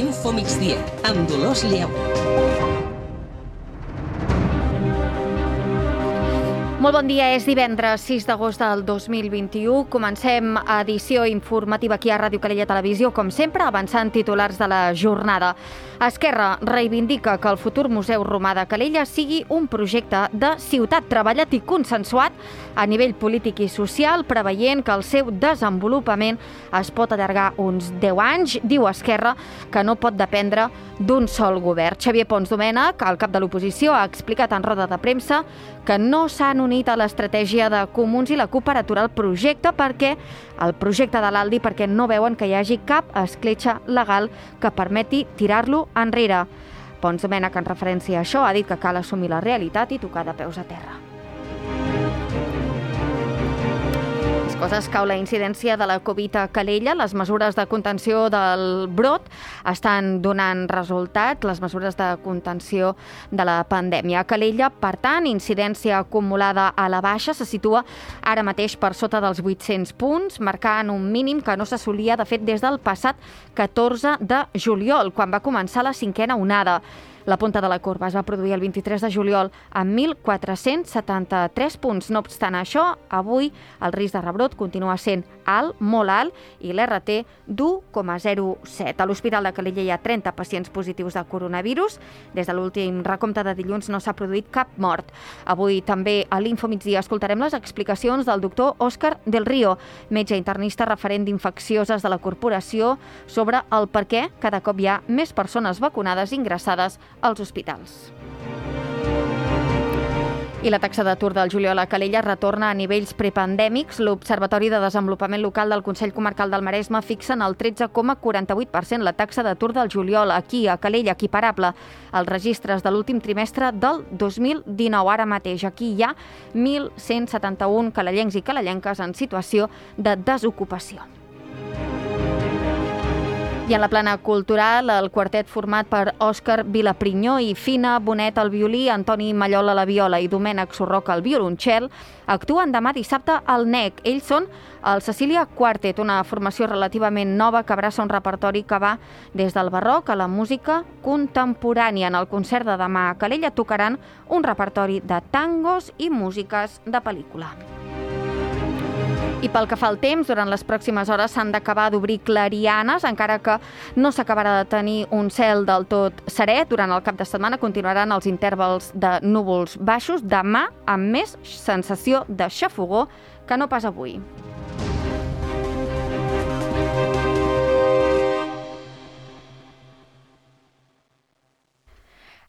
Info Migdia, amb Dolors Lleó. Molt bon dia, és divendres 6 d'agost del 2021. Comencem edició informativa aquí a Ràdio Calella Televisió, com sempre, avançant titulars de la jornada. Esquerra reivindica que el futur Museu Romà de Calella sigui un projecte de ciutat treballat i consensuat a nivell polític i social, preveient que el seu desenvolupament es pot allargar uns 10 anys. Diu Esquerra que no pot dependre d'un sol govern. Xavier Pons Domènech, el cap de l'oposició, ha explicat en roda de premsa que no s'han unit a l'estratègia de Comuns i la CUP per aturar el projecte de l'Aldi perquè no veuen que hi hagi cap escletxa legal que permeti tirar-lo enrere. Pons Domènech, en referència a això, ha dit que cal assumir la realitat i tocar de peus a terra. Coses cau la incidència de la Covid a Calella. Les mesures de contenció del brot estan donant resultat, les mesures de contenció de la pandèmia. A Calella, per tant, incidència acumulada a la baixa se situa ara mateix per sota dels 800 punts, marcant un mínim que no s'assolia, de fet, des del passat 14 de juliol, quan va començar la cinquena onada. La punta de la corba es va produir el 23 de juliol amb 1.473 punts. No obstant això, avui el risc de rebrot continua sent alt, molt alt, i l'RT d'1,07. A l'Hospital de Calella hi ha 30 pacients positius de coronavirus. Des de l'últim recompte de dilluns no s'ha produït cap mort. Avui també a l'Info Migdia escoltarem les explicacions del doctor Òscar Del Río, metge internista referent d'infeccioses de la corporació, sobre el per què cada cop hi ha més persones vacunades ingressades als hospitals. I la taxa d'atur del juliol a Calella retorna a nivells prepandèmics. L'Observatori de Desenvolupament Local del Consell Comarcal del Maresme fixa en el 13,48% la taxa d'atur del juliol aquí a Calella, equiparable als registres de l'últim trimestre del 2019. Ara mateix aquí hi ha 1.171 calellencs i calellenques en situació de desocupació. I en la plana cultural, el quartet format per Òscar Vilaprinyó i Fina Bonet al violí, Antoni Mallol a la viola i Domènec Sorroca al violoncel actuen demà dissabte al NEC. Ells són el Cecília Quartet, una formació relativament nova que abraça un repertori que va des del barroc a la música contemporània. En el concert de demà a Calella tocaran un repertori de tangos i músiques de pel·lícula. I pel que fa al temps, durant les pròximes hores s'han d'acabar d'obrir clarianes, encara que no s'acabarà de tenir un cel del tot serè. Durant el cap de setmana continuaran els intervals de núvols baixos, demà amb més sensació de xafogor que no pas avui.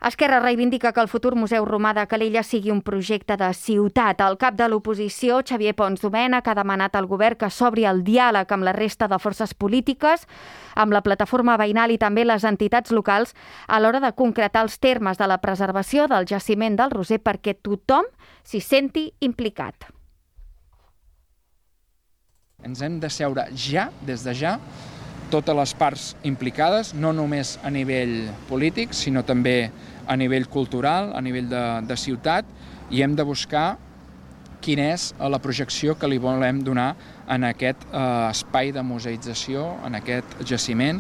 Esquerra reivindica que el futur Museu Romà de Calella sigui un projecte de ciutat. El cap de l'oposició, Xavier Pons Domènech, ha demanat al govern que s'obri el diàleg amb la resta de forces polítiques, amb la plataforma veïnal i també les entitats locals a l'hora de concretar els termes de la preservació del jaciment del Roser perquè tothom s'hi senti implicat. Ens hem de seure ja, des de ja, totes les parts implicades, no només a nivell polític, sinó també a nivell cultural, a nivell de ciutat, i hem de buscar quina és la projecció que li volem donar en aquest espai de museïtzació, en aquest jaciment.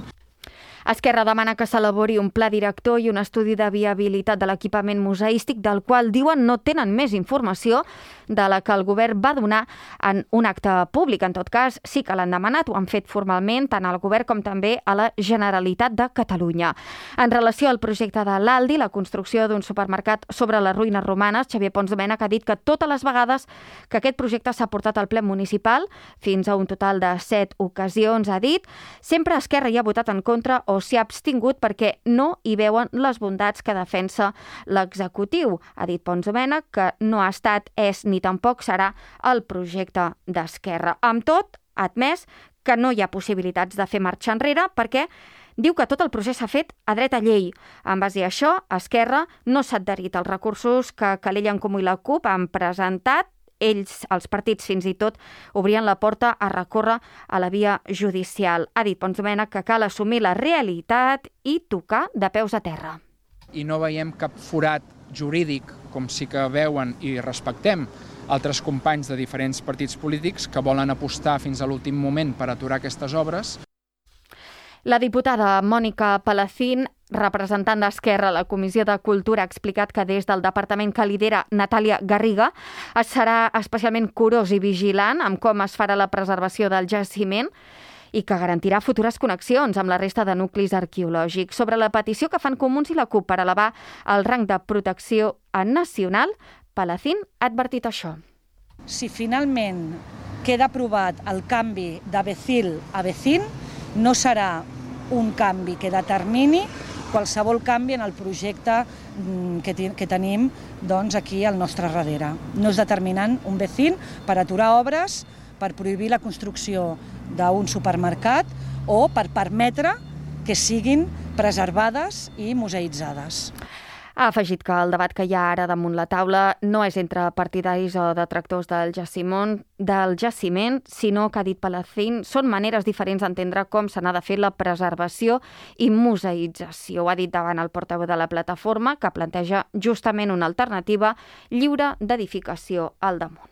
Esquerra demana que s'elabori un pla director i un estudi de viabilitat de l'equipament museístic, del qual diuen no tenen més informació de la que el govern va donar en un acte públic. En tot cas, sí que l'han demanat, ho han fet formalment tant al govern com també a la Generalitat de Catalunya. En relació al projecte de l'Aldi, la construcció d'un supermercat sobre les ruïnes romanes, Xavier Pons Domènech ha dit que totes les vegades que aquest projecte s'ha portat al ple municipal, fins a un total de 7 ocasions, ha dit, sempre Esquerra hi ha votat en contra o s'hi ha abstingut perquè no hi veuen les bondats que defensa l'executiu. Ha dit Pons Domènech que no ha estat, és ni tampoc serà el projecte d'Esquerra. Amb tot, ha admès que no hi ha possibilitats de fer marxa enrere perquè diu que tot el procés s'ha fet a dret a llei. En base a això, Esquerra no s'ha adherit als recursos que Calella en Comú i la CUP han presentat. Ells, els partits, fins i tot obrien la porta a recórrer a la via judicial. Ha dit Pons Domènech que cal assumir la realitat i tocar de peus a terra. I no veiem cap forat jurídic, com sí que veuen i respectem altres companys de diferents partits polítics que volen apostar fins a l'últim moment per aturar aquestes obres. La diputada Mònica Palacín, representant d'Esquerra a la Comissió de Cultura, ha explicat que des del departament que lidera Natàlia Garriga es serà especialment curós i vigilant amb com es farà la preservació del jaciment i que garantirà futures connexions amb la resta de nuclis arqueològics. Sobre la petició que fan Comuns i la CUP per elevar el rang de protecció nacional, Palacín ha advertit això. Si finalment queda aprovat el canvi de Becil a Becín, no serà un canvi que determini qualsevol canvi en el projecte que tenim aquí al nostre darrere. No és determinant un Becín per aturar obres, per prohibir la construcció d'un supermercat o per permetre que siguin preservades i museïtzades. Ha afegit que el debat que hi ha ara damunt la taula no és entre partidaris o detractors del jaciment, sinó que, ha dit Palacín, són maneres diferents d'entendre com se n'ha de fer la preservació i museïtzació. Ho ha dit davant el portaveu de la plataforma, que planteja justament una alternativa lliure d'edificació al damunt.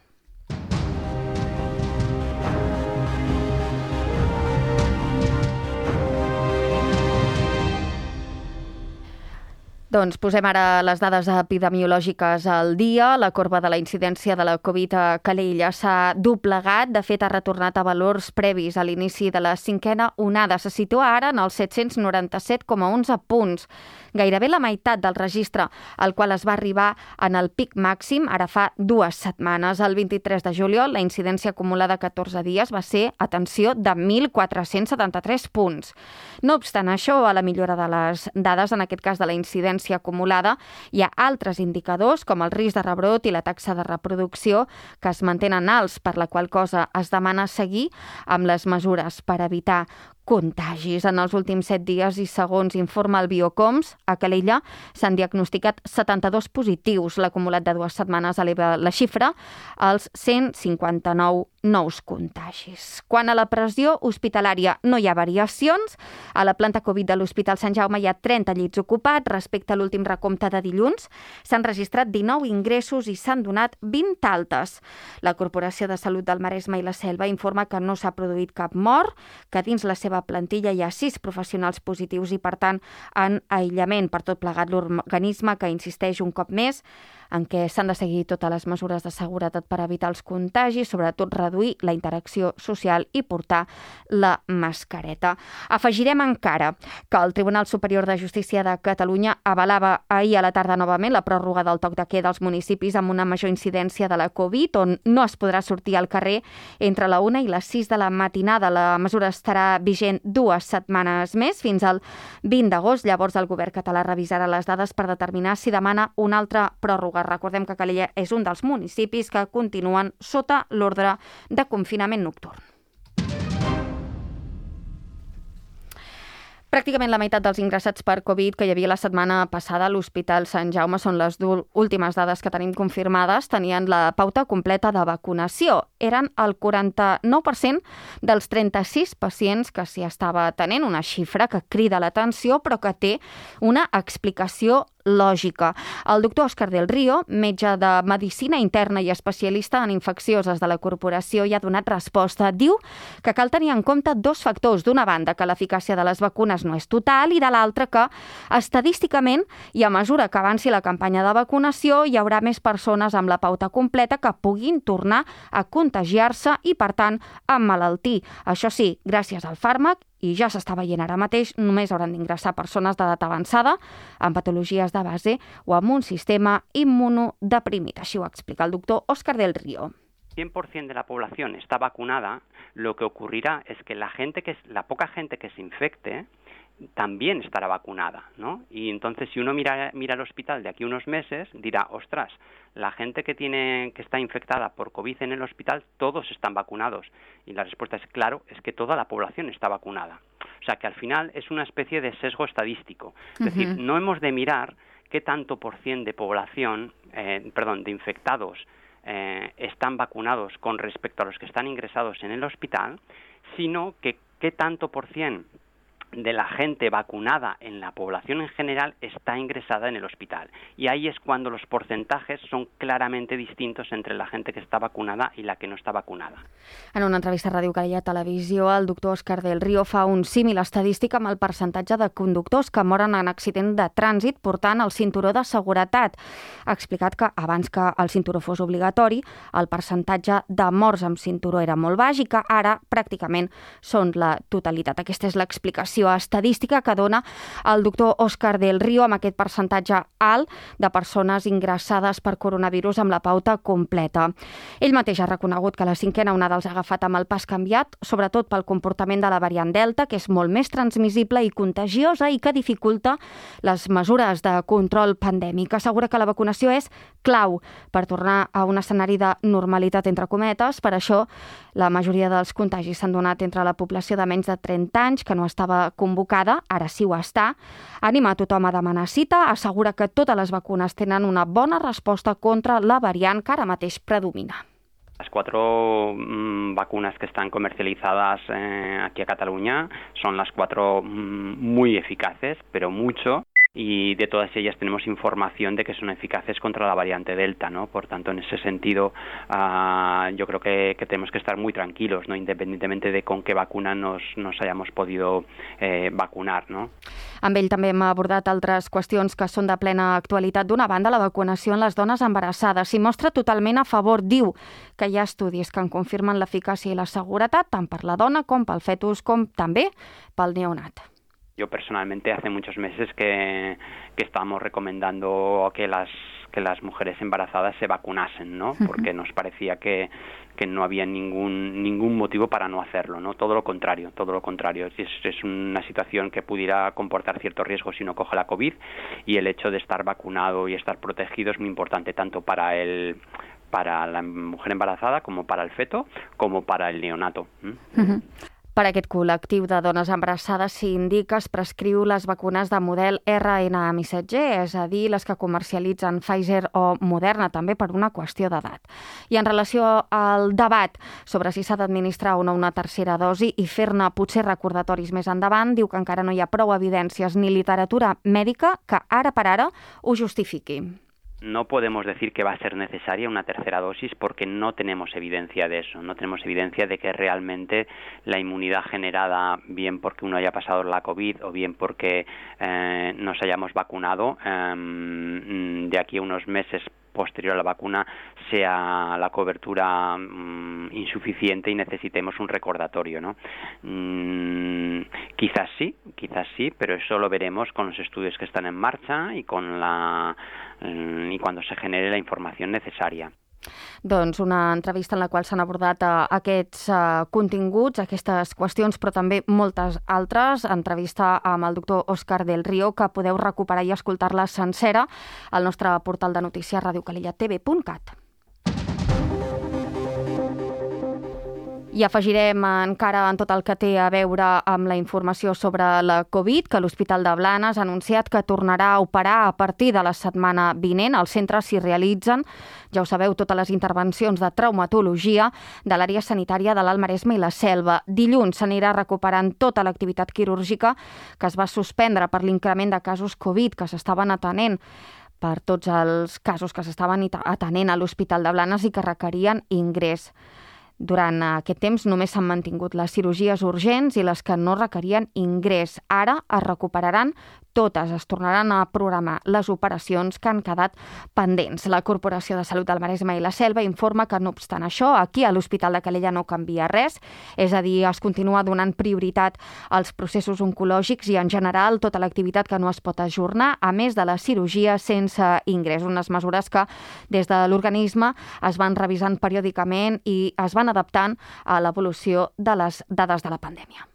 Doncs posem ara les dades epidemiològiques al dia. La corba de la incidència de la Covid a Calella s'ha doblegat. De fet, ha retornat a valors previs a l'inici de la 5a onada. Se situa ara en els 797,11 punts. Gairebé la meitat del registre al qual es va arribar en el pic màxim ara fa 2 setmanes. El 23 de juliol, la incidència acumulada a 14 dies va ser, atenció, de 1.473 punts. No obstant això, a la millora de les dades, en aquest cas de la incidència acumulada, hi ha altres indicadors com el risc de rebrot i la taxa de reproducció que es mantenen alts, per la qual cosa es demana seguir amb les mesures per evitar contagis. En els últims 7 dies i segons informa el Biocoms, a Calella s'han diagnosticat 72 positius. L'acumulat de 2 setmanes eleva la xifra als 159 nous contagis. Quant a la pressió hospitalària, no hi ha variacions. A la planta Covid de l'Hospital Sant Jaume hi ha 30 llits ocupats. Respecte a l'últim recompte de dilluns, s'han registrat 19 ingressos i s'han donat 20 altes. La Corporació de Salut del Maresme i la Selva informa que no s'ha produït cap mort, que dins la seva plantilla hi ha 6 professionals positius i, per tant, en aïllament. Per tot plegat, l'organisme que insisteix un cop més en què s'han de seguir totes les mesures de seguretat per evitar els contagis, sobretot reduir la interacció social i portar la mascareta. Afegirem encara que el Tribunal Superior de Justícia de Catalunya avalava ahir a la tarda novament la pròrroga del toc de queda als municipis amb una major incidència de la Covid, on no es podrà sortir al carrer entre la 1 i les 6 de la matinada. La mesura estarà vigent 2 setmanes més, fins al 20 d'agost. Llavors el govern català revisarà les dades per determinar si demana una altra pròrroga. Recordem que Calella és un dels municipis que continuen sota l'ordre de confinament nocturn. Pràcticament la meitat dels ingressats per Covid que hi havia la setmana passada a l'Hospital Sant Jaume, són les últimes dades que tenim confirmades, tenien la pauta completa de vacunació. Eren el 49% dels 36 pacients que s'hi estava atenent, una xifra que crida l'atenció però que té una explicació lògica. El doctor Òscar del Río, metge de Medicina Interna i especialista en infeccioses de la corporació, hi ha donat resposta. Diu que cal tenir en compte 2 factors. D'una banda, que l'eficàcia de les vacunes no és total, i de l'altra que, estadísticament, i a mesura que avanci la campanya de vacunació, hi haurà més persones amb la pauta completa que puguin tornar a contagiar-se i, per tant, emmalaltir. Això sí, gràcies al fàrmac, i ja s'està veient ara mateix, només hauran d'ingressar persones d'edat avançada amb patologies de base o amb un sistema immunodeprimit. Així ho explica el doctor Òscar del Río. 100% de la población está vacunada, lo que ocurrirá es que la poca gente que se infecte también estará vacunada, ¿no? Y entonces si uno mira el hospital de aquí a unos meses, dirá, ostras, la gente que está infectada por COVID en el hospital, todos están vacunados. Y la respuesta es claro, es que toda la población está vacunada. O sea que al final es una especie de sesgo estadístico. Es decir, no hemos de mirar qué tanto por cien de población, de infectados están vacunados con respecto a los que están ingresados en el hospital, sino que qué tanto por cien de la gente vacunada en la población en general está ingresada en el hospital. Y ahí es cuando los porcentajes son claramente distintos entre la gente que està vacunada i la que no està vacunada. En una entrevista a Ràdio Calella Televisió, el doctor Òscar del Río fa un símil estadístic amb el percentatge de conductors que moren en accident de trànsit portant el cinturó de seguretat. Ha explicat que abans que el cinturó fos obligatori, el percentatge de morts amb cinturó era molt baix i que ara pràcticament són la totalitat. Aquesta és l'explicació estadística que dona el doctor Òscar del Río amb aquest percentatge alt de persones ingressades per coronavirus amb la pauta completa. Ell mateix ha reconegut que la 5a onada els ha agafat amb el pas canviat, sobretot pel comportament de la variant Delta, que és molt més transmissible i contagiosa i que dificulta les mesures de control pandèmic. Assegura que la vacunació és clau per tornar a un escenari de normalitat, entre cometes. Per això, la majoria dels contagis s'han donat entre la població de menys de 30 anys, que no estava convocada, ara sí ho està. Anima a tothom a demanar cita, assegura que totes les vacunes tenen una bona resposta contra la variant que ara mateix predomina. Las 4 vacunas que están comercializadas aquí a Cataluña son las 4 muy eficaces, pero mucho. Y de todas ellas tenemos información de que son eficaces contra la variante Delta, ¿no? Por tanto, en ese sentido, yo creo que tenemos que estar muy tranquilos, ¿no? Independientemente de con qué vacuna nos hayamos podido vacunar, ¿no? Amb ell també hem abordat altres qüestions que són de plena actualitat. D'una banda, la vacunació en les dones embarassades s'hi mostra totalment a favor. Diu que hi ha estudis que en confirmen l'eficàcia i la seguretat tant per la dona com pel fetus com també pel neonat. Yo personalmente hace muchos meses que estamos recomendando que las mujeres embarazadas se vacunasen, ¿no? Porque nos parecía que no había ningún motivo para no hacerlo, ¿no? Todo lo contrario. Es una situación que pudiera comportar cierto riesgo si uno coge la COVID, y el hecho de estar vacunado y estar protegido es muy importante tanto para la mujer embarazada como para el feto como para el neonato. Per a aquest col·lectiu de dones embarassades s'indica es prescriu les vacunes de model RNA missatger, és a dir, les que comercialitzen Pfizer o Moderna, també per una qüestió d'edat. I en relació al debat sobre si s'ha d'administrar o no una tercera dosi i fer-ne potser recordatoris més endavant, diu que encara no hi ha prou evidències ni literatura mèdica que ara per ara ho justifiqui. No podemos decir que va a ser necesaria una tercera dosis porque no tenemos evidencia de eso. No tenemos evidencia de que realmente la inmunidad generada, bien porque uno haya pasado la COVID o bien porque nos hayamos vacunado, de aquí a unos meses posterior a la vacuna sea la cobertura insuficiente y necesitemos un recordatorio, ¿no? Quizás sí, pero eso lo veremos con los estudios que están en marcha y y cuando se genere la información necesaria. Doncs una entrevista en la qual s'han abordat aquests continguts, aquestes qüestions, però també moltes altres. Entrevista amb el doctor Òscar del Río, que podeu recuperar i escoltar-la sencera al nostre portal de notícies radiocalellatv.cat. I afegirem encara en tot el que té a veure amb la informació sobre la Covid, que l'Hospital de Blanes ha anunciat que tornarà a operar a partir de la setmana vinent. Al centre s'hi realitzen, ja ho sabeu, totes les intervencions de traumatologia de l'àrea sanitària de l'Alt Maresme i la Selva. Dilluns s'anirà recuperant tota l'activitat quirúrgica que es va suspendre per l'increment de casos Covid que s'estaven atenent per tots els casos que s'estaven atenent a l'Hospital de Blanes i que requerien ingrés. Durant aquest temps només s'han mantingut les cirurgies urgents i les que no requerien ingrés. Ara es recuperaran totes, es tornaran a programar les operacions que han quedat pendents. La Corporació de Salut del Maresme i la Selva informa que, no obstant això, aquí a l'Hospital de Calella no canvia res, és a dir, es continua donant prioritat als processos oncològics i, en general, tota l'activitat que no es pot ajornar, a més de la cirurgia sense ingrés. Unes mesures que, des de l'organisme, es van revisant periòdicament i es van adaptant a l'evolució de les dades de la pandèmia.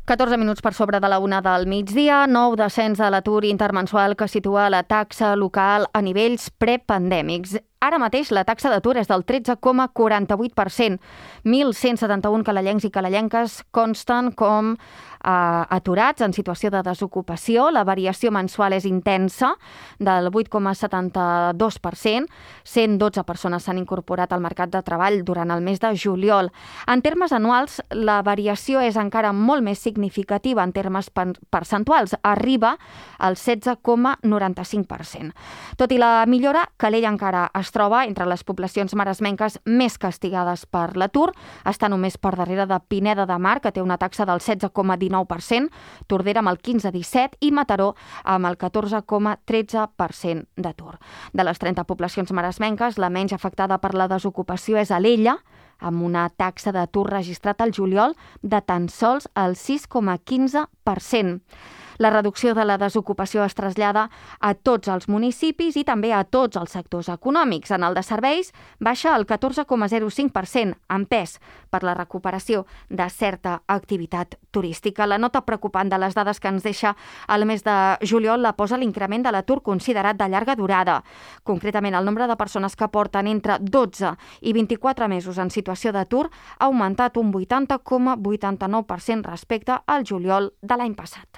...14 minuts per sobre de la 1 del migdia, nou descens de l'atur intermensual que situa la taxa local a nivells prepandèmics. Ara mateix la taxa d'atur és del 13,48%. 1.171 calellencs i calellenques consten com aturats en situació de desocupació. La variació mensual és intensa, del 8,72%. 112 persones s'han incorporat al mercat de treball durant el mes de juliol. En termes anuals, la variació és encara molt més significativa en termes percentuals. Arriba al 16,95%. Tot i la millora, Calella encara es troba entre les poblacions maresmenques més castigades per l'atur. Està només per darrere de Pineda de Mar, que té una taxa del 16,19%, Tordera amb el 15,17% i Mataró amb el 14,13% d'atur. De les 30 poblacions maresmenques, la menys afectada per la desocupació és Alella, amb una taxa d'atur registrat al juliol de tan sols el 6,15%. La reducció de la desocupació es trasllada a tots els municipis i també a tots els sectors econòmics. En el de serveis baixa el 14,05%, empès per la recuperació de certa activitat turística. La nota preocupant de les dades que ens deixa el mes de juliol la posa l'increment de l'atur considerat de llarga durada. Concretament, el nombre de persones que porten entre 12 i 24 mesos en situació d'atur ha augmentat un 80,89% respecte al juliol de l'any passat.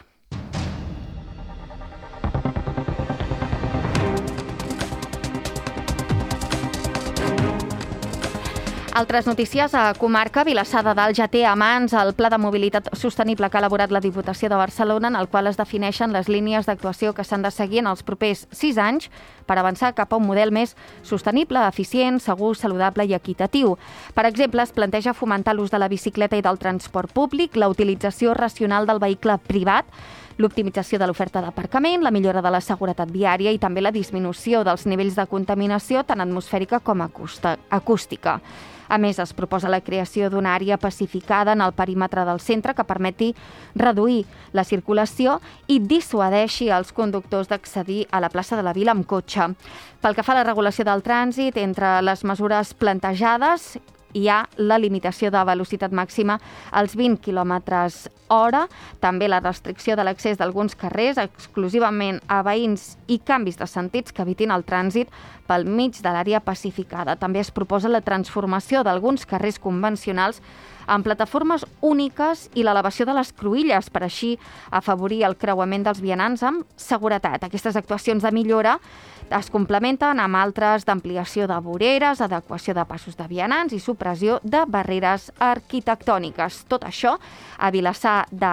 Altres notícies. A comarca, Vilassar de Dalt ja té a mans el Pla de Mobilitat Sostenible que ha elaborat la Diputació de Barcelona, en el qual es defineixen les línies d'actuació que s'han de seguir en els propers 6 anys per avançar cap a un model més sostenible, eficient, segur, saludable i equitatiu. Per exemple, es planteja fomentar l'ús de la bicicleta i del transport públic, la utilització racional del vehicle privat, l'optimització de l'oferta d'aparcament, la millora de la seguretat viària i també la disminució dels nivells de contaminació tant atmosfèrica com acústica. A més, es proposa la creació d'una àrea pacificada en el perímetre del centre que permeti reduir la circulació i dissuadeixi els conductors d'accedir a la plaça de la Vila amb cotxe. Pel que fa a la regulació del trànsit, entre les mesures plantejades hi ha la limitació de velocitat màxima als 20 km/h, també la restricció de l'accés d'alguns carrers exclusivament a veïns i canvis de sentits que evitin el trànsit pel mig de l'àrea pacificada. També es proposa la transformació d'alguns carrers convencionals en plataformes úniques i l'elevació de les cruïlles per així afavorir el creuament dels vianants amb seguretat. Aquestes actuacions de millora es complementen amb altres d'ampliació de voreres, adequació de passos de vianants i supressió de barreres arquitectòniques. Tot això a Vilassar de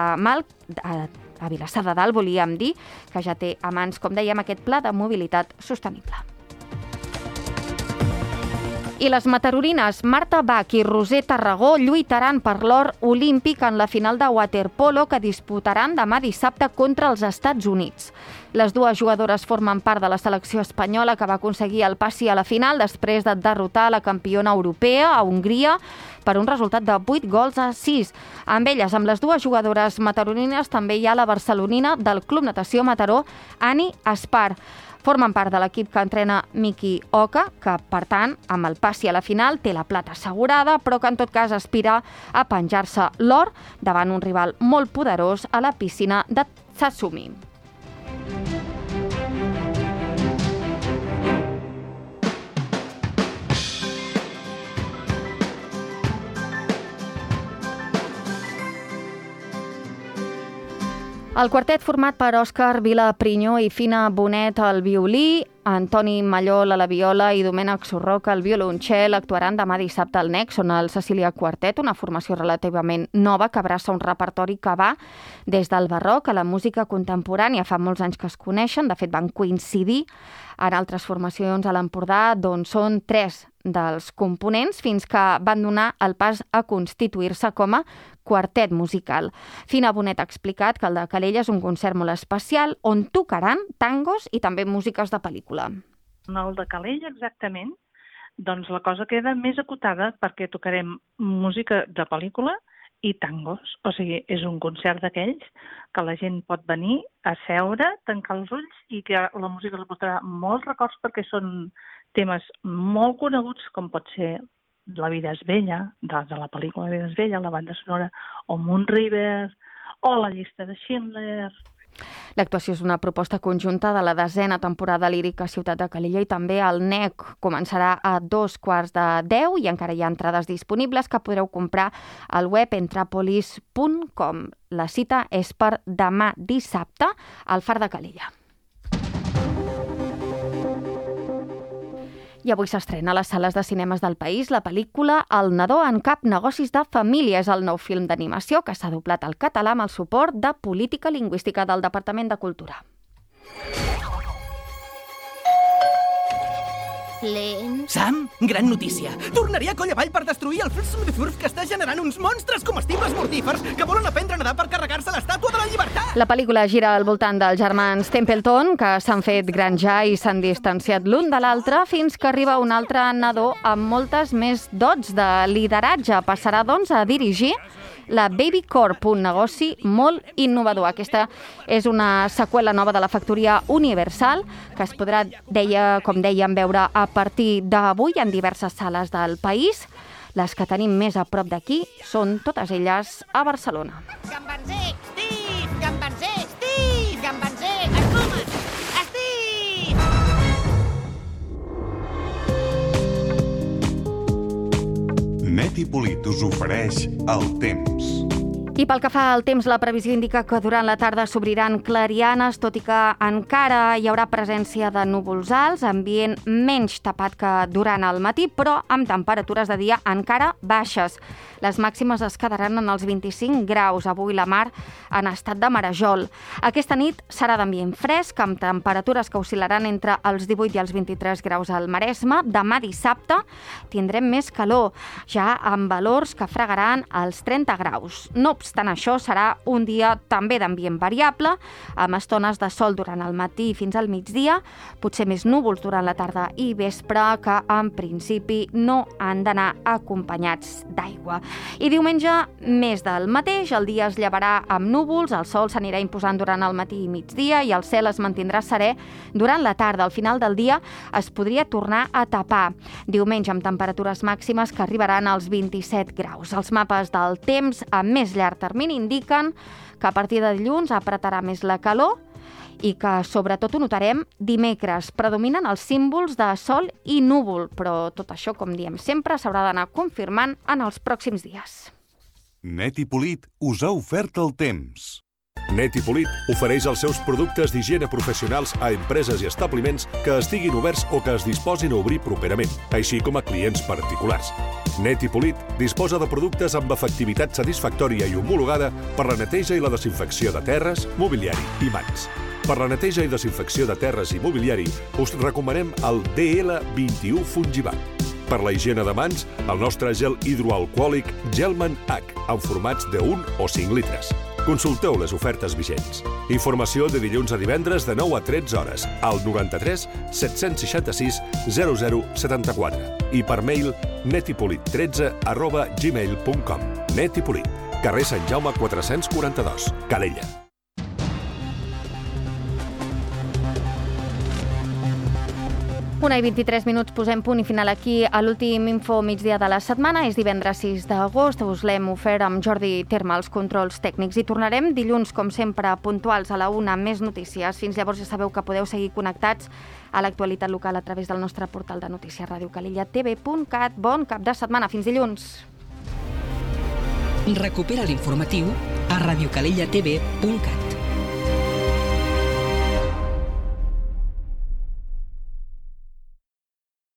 Dalt volíem dir que ja té a mans, com dèiem, aquest pla de mobilitat sostenible. I les matarorines Marta Bach i Roser Tarragó lluitaran per l'or olímpic en la final de waterpolo que disputaran demà dissabte contra els Estats Units. Les dues jugadores formen part de la selecció espanyola que va aconseguir el passi a la final després de derrotar la campiona europea a Hongria per un resultat de 8-6. Amb elles, amb les dues jugadores matarorines, també hi ha la barcelonina del Club Natació Mataró, Ani Espar. Formen part de l'equip que entrena Miki Oka, que, per tant, amb el passi a la final té la plata assegurada, però que en tot cas aspira a penjar-se l'or davant un rival molt poderós a la piscina de Satsumi. El quartet format per Òscar Vilaprinyó i Fina Bonet al violí, Antoni Mallol a la viola i Domènec Surroca al violoncel actuaran demà dissabte al NEC. Són el Cecília Quartet, una formació relativament nova que abraça un repertori que va des del barroc a la música contemporània. Fa molts anys que es coneixen, de fet van coincidir en altres formacions a l'Empordà, d'on són 3 dels components fins que van donar el pas a constituir-se com a quartet musical. Fina Bonet ha explicat que el de Calella és un concert molt especial on tocaran tangos i també músiques de pel·lícula. En el de Calella, exactament, doncs la cosa queda més acotada perquè tocarem música de pel·lícula i tangos. O sigui, és un concert d'aquells que la gent pot venir a seure, tancar els ulls i que la música els portarà molts records perquè són temes molt coneguts com pot ser La vida és bella, de la pel·lícula La vida és bella, la banda sonora, o Moon River, o La llista de Schindler, L'actuació és una proposta conjunta de la 10ª temporada lírica Ciutat de Calella i també el NEC començarà a 9:45 i encara hi ha entrades disponibles que podreu comprar al web entrapolis.com. La cita és per demà dissabte al Far de Calella. I avui s'estrena a les sales de cinemes del país la pel·lícula El nadó en cap negocis de família. És el nou film d'animació que s'ha doblat al català amb el suport de Política Lingüística del Departament de Cultura. Lent. Sam, gran notícia. Tornaré a coll avall per destruir el Flurf que està generant uns monstres comestibles mortífers que volen aprendre a nedar per carregar-se l'estàtua de la llibertat. La pel·lícula gira al voltant dels germans Templeton, que s'han fet grans ja i s'han distanciat l'un de l'altre fins que arriba un altre nadó amb moltes més dots de lideratge. Passarà, doncs, a dirigir la Baby Corp, un negoci molt innovador. Aquesta és una seqüela nova de la factoria Universal que es podrà, com dèiem, veure a partir d'avui en diverses sales del país. Les que tenim més a prop d'aquí són totes elles a Barcelona. Gambanzer, Steve! Gambanzer, Steve! Gambanzer, espumes! Steve! Neti Polit us ofereix el temps. I pel que fa al temps, la previsió indica que durant la tarda s'obriran clarianes, tot i que encara hi haurà presència de núvols alts, ambient menys tapat que durant el matí, però amb temperatures de dia encara baixes. Les màximes es quedaran en els 25 graus. Avui la mar en estat de marejol. Aquesta nit serà d'ambient fresc, amb temperatures que oscil·laran entre els 18 i els 23 graus al Maresme. Demà dissabte tindrem més calor, ja amb valors que fregaran els 30 graus. No obstant això, serà un dia també d'ambient variable, amb estones de sol durant el matí fins al migdia, potser més núvols durant la tarda i vespre, que en principi no han d'anar acompanyats d'aigua. I diumenge, més del mateix, el dia es llevarà amb núvols, el sol s'anirà imposant durant el matí i migdia i el cel es mantindrà serè durant la tarda. Al final del dia es podria tornar a tapar. Diumenge amb temperatures màximes que arribaran als 27 graus. Els mapes del temps a més llarg termini indiquen que a partir de dilluns apretarà més la calor i que sobretot ho notarem dimecres. Predominen els símbols de sol i núvol, però tot això, com diem sempre, s'haurà d'anar confirmant en els pròxims dies. Neti Polit us ha ofert el temps. Neti Polit ofereix els seus productes d'higiene professionals a empreses i establiments que estiguin oberts o que es disposin a obrir properament, així com a clients particulars. Neti Polit disposa de productes amb efectivitat satisfactòria i homologada per la neteja i la desinfecció de terres, mobiliari i mans. Per la neteja i desinfecció de terres i mobiliari us recomanem el DL21 Fungibat. Per la higiene de mans, el nostre gel hidroalcohòlic Gelman H, en formats de 1 o 5 litres. Consulteu les ofertes vigents. Informació de dilluns a divendres de 9 a 13 hores al 93 766 0074 i per mail netipolit13@gmail.com. Neti Polit, carrer Sant Jaume 442, Calella. Una i 23 minuts, posem punt i final aquí a l'últim info migdia de la setmana. És divendres 6 d'agost, us l'hem ofert amb Jordi Terma, els controls tècnics. I tornarem dilluns, com sempre, puntuals a la 1 amb més notícies. Fins llavors ja sabeu que podeu seguir connectats a l'actualitat local a través del nostre portal de notícies radiocalellatv.cat. Bon cap de setmana, fins dilluns. Recupera l'informatiu a radiocalellatv.cat.